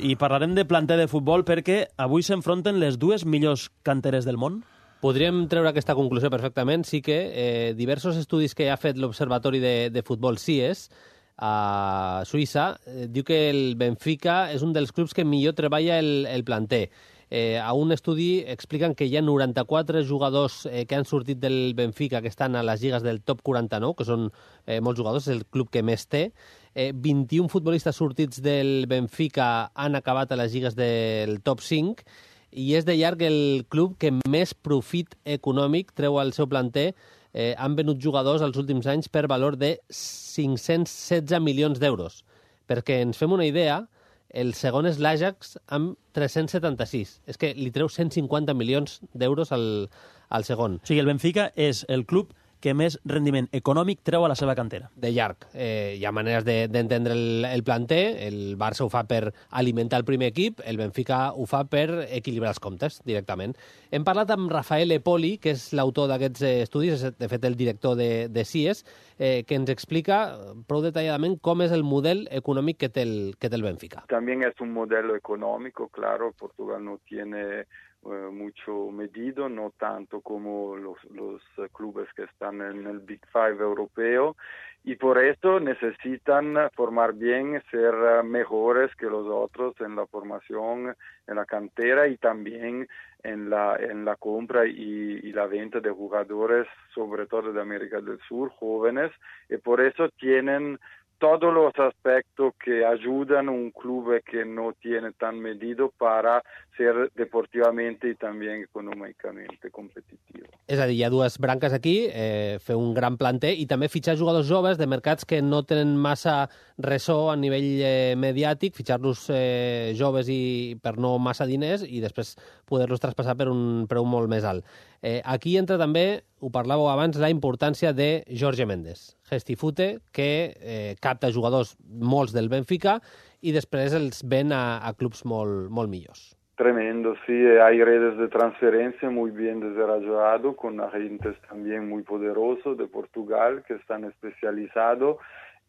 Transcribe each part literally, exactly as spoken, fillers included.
I parlarem de planter de futbol perquè avui s'enfronten les dues millors canteres del món. Podríem treure aquesta conclusió perfectament. Sí que eh, diversos estudis que ha fet l'Observatori de, de Futbol C I E S a Suïssa eh, diu que el Benfica és un dels clubs que millor treballa el, el planter. Eh, a un estudi expliquen que hi ha noranta-quatre jugadors eh, que han sortit del Benfica que estan a les lligues del top quaranta-nou, que són eh, molts jugadors, és el club que més té. Eh, vint-i-un futbolistes sortits del Benfica han acabat a les lligues del top cinc i és de llarg el club que més profit econòmic treu al seu planter. Eh, han venut jugadors els últims anys per valor de cinc-cents setze milions d'euros. Perquè ens fem una idea, el segon és l'Ajax amb tres-cents setanta-sis. És que li treu cent cinquanta milions d'euros al, al segon. O sigui, el Benfica és el club que més rendiment econòmic treu a la seva cantera. De llarg. Eh, hi ha maneres d'entendre de, el, el planter. El Barça ho fa per alimentar el primer equip, el Benfica ho fa per equilibrar els comptes directament. Hem parlat amb Rafael Epoli, que és l'autor d'aquests estudis, és de fet el director de, de C I E S, eh, que ens explica prou detalladament com és el model econòmic que té el, que té el Benfica. También es un modelo económico, claro. Portugal no tiene Eh, mucho medido, no tanto como los, los uh, clubes que están en el Big Five europeo, y por eso necesitan formar bien, ser uh, mejores que los otros en la formación, en la cantera y también en la, en la compra y, y la venta de jugadores, sobre todo de América del Sur, jóvenes, y por eso tienen todos los aspectos que ayudan a un club que no tiene tan medido para ser deportivamente i també econòmicament competitiu. És a dir, hi ha dues branques aquí, eh, fer un gran planter i també fitxar jugadors joves de mercats que no tenen massa ressò a nivell eh, mediàtic, fitxar-los eh, joves i per no massa diners i després poder-los traspassar per un preu molt més alt. Eh, aquí entra també, ho parlàveu abans, la importància de Jorge Mendes, gestifute, que eh, capta jugadors molts del Benfica i després els ven a, a clubs molt, molt millors. Tremendo, sí, hay redes de transferencia muy bien desarrollado, con agentes también muy poderosos de Portugal que están especializados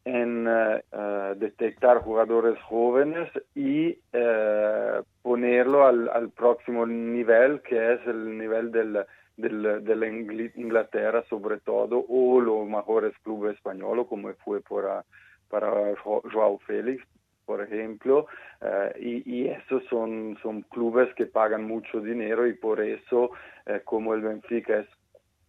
en uh, detectar jugadores jóvenes y uh, ponerlo al, al próximo nivel, que es el nivel del, del, de la Inglaterra sobre todo, o los mejores clubes españoles, como fue para, para Joao Félix, por ejemplo, uh, y, y esos son, son clubes que pagan mucho dinero y por eso, uh, como el Benfica es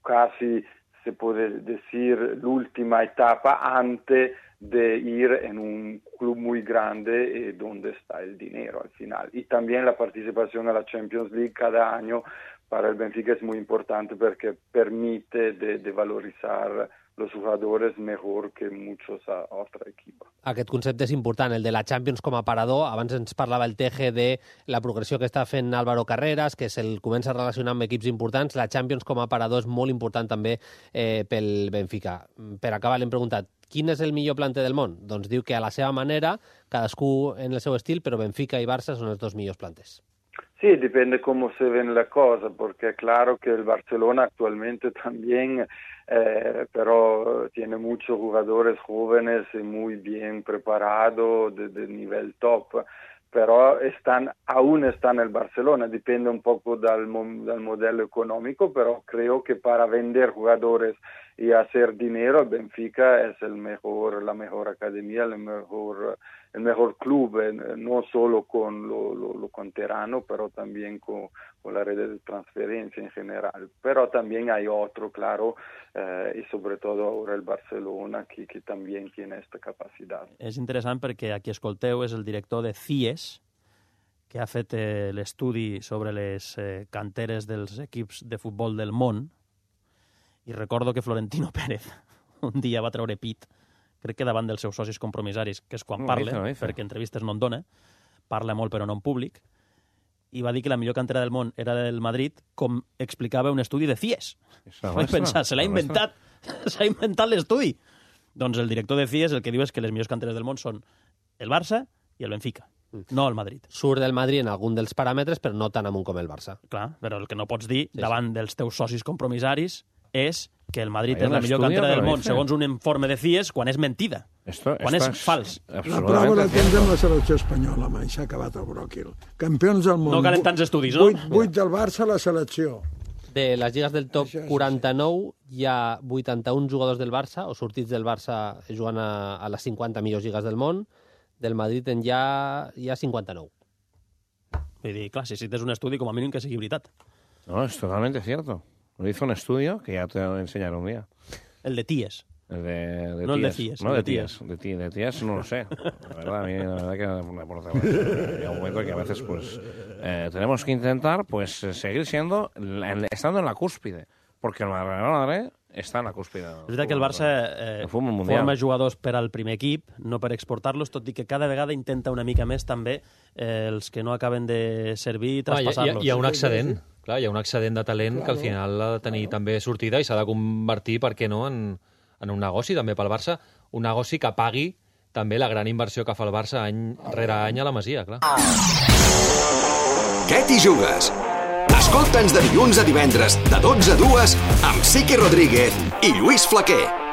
casi, se puede decir, la última etapa antes de ir en un club muy grande eh, donde está el dinero al final. Y también la participación a la Champions League cada año para el Benfica es muy importante porque permite de, de valorizar los jugadores mejor que muchos a otro equipo. Aquest concepte és important, el de la Champions com a parador. Abans ens parlava el Teje de la progressió que està fent Álvaro Carreras, que se'l comença a relacionar amb equips importants. La Champions com a parador és molt important també eh, pel Benfica. Per acabar, l'hem preguntat, quin és el millor planter del món? Doncs diu que a la seva manera, cadascú en el seu estil, però Benfica i Barça són els dos millors planters. Sí, depende cómo se ven la cosa, porque claro que el Barcelona actualmente también, eh, pero tiene muchos jugadores jóvenes y muy bien preparados de, de nivel top, pero están, aún están en el Barcelona, depende un poco del, del modelo económico, pero creo que para vender jugadores y hacer dinero, el Benfica es el mejor, la mejor academia, el mejor, el mejor club, no solo con lo, lo, lo canterano, pero también con, con la red de transferencia en general. Pero también hay otro, claro, eh, y sobre todo ahora el Barcelona, que, que también tiene esta capacidad. És interessant perquè aquí escolteu és el director de C I E S, que ha fet eh, l'estudi sobre les eh, canteres dels equips de futbol del món. I recordo que Florentino Pérez un dia va treure pit, crec que davant dels seus socis compromissaris, que és quan no, parla, no, no, perquè entrevistes no en dona, parla molt però no en públic, i va dir que la millor cantera del món era del Madrid, com explicava un estudi de C I E S. Vaig pensar, se l'ha inventat, s'ha inventat l'estudi. Doncs el director de C I E S el que diu és que les millors canteres del món són el Barça i el Benfica, no el Madrid. Surt del Madrid en algun dels paràmetres, però no tan amunt com el Barça. Clar, però el que no pots dir sí, davant sí. dels teus socis compromissaris és que el Madrid Hay és la millor cantera del món, dice. segons un informe de C I E S, quan és mentida. Esto, quan és fals. La prova la tens amb la selecció espanyola, mai s'ha acabat el bròquil. Campions del món. No calen tants estudis, no? Vuit, vuit del Barça a la selecció. De les lligues del top Això és quaranta-nou hi ha vuitanta-un jugadors del Barça, o sortits del Barça jugant a, a les cinquanta millors lligues del món. Del Madrid en hi ha, hi ha cinquanta-nou. Vull dir, clar, si cites un estudi, com a mínim que sigui veritat. No, es totalmente cierto. Lo hizo un estudio que ya te lo enseñaré un día. El de Ties. El de, de no el de tías. Cies. No, el de de tías. De, tí, de tías no lo sé. La verdad, a mí la verdad que me aporta más. Llega un momento que a veces pues eh, tenemos que intentar pues seguir siendo, estando en la cúspide. Porque el Real Madrid està en la cúspide. És veritat que el Barça eh, forma jugadors per al primer equip, no per exportar-los, tot i que cada vegada intenta una mica més també eh, els que no acaben de servir i traspassar-los. Ah, hi, ha, hi ha un excedent, clar, hi ha un excedent de talent que al final ha de tenir també sortida i s'ha de convertir, per què no, en, en un negoci també pel Barça, un negoci que pagui també la gran inversió que fa el Barça any rere any a la Masia, clar. Què t'hi jugues? Escolta'ns de dilluns a divendres, de dotze a dues, amb Sique Rodríguez i Lluís Flaquer.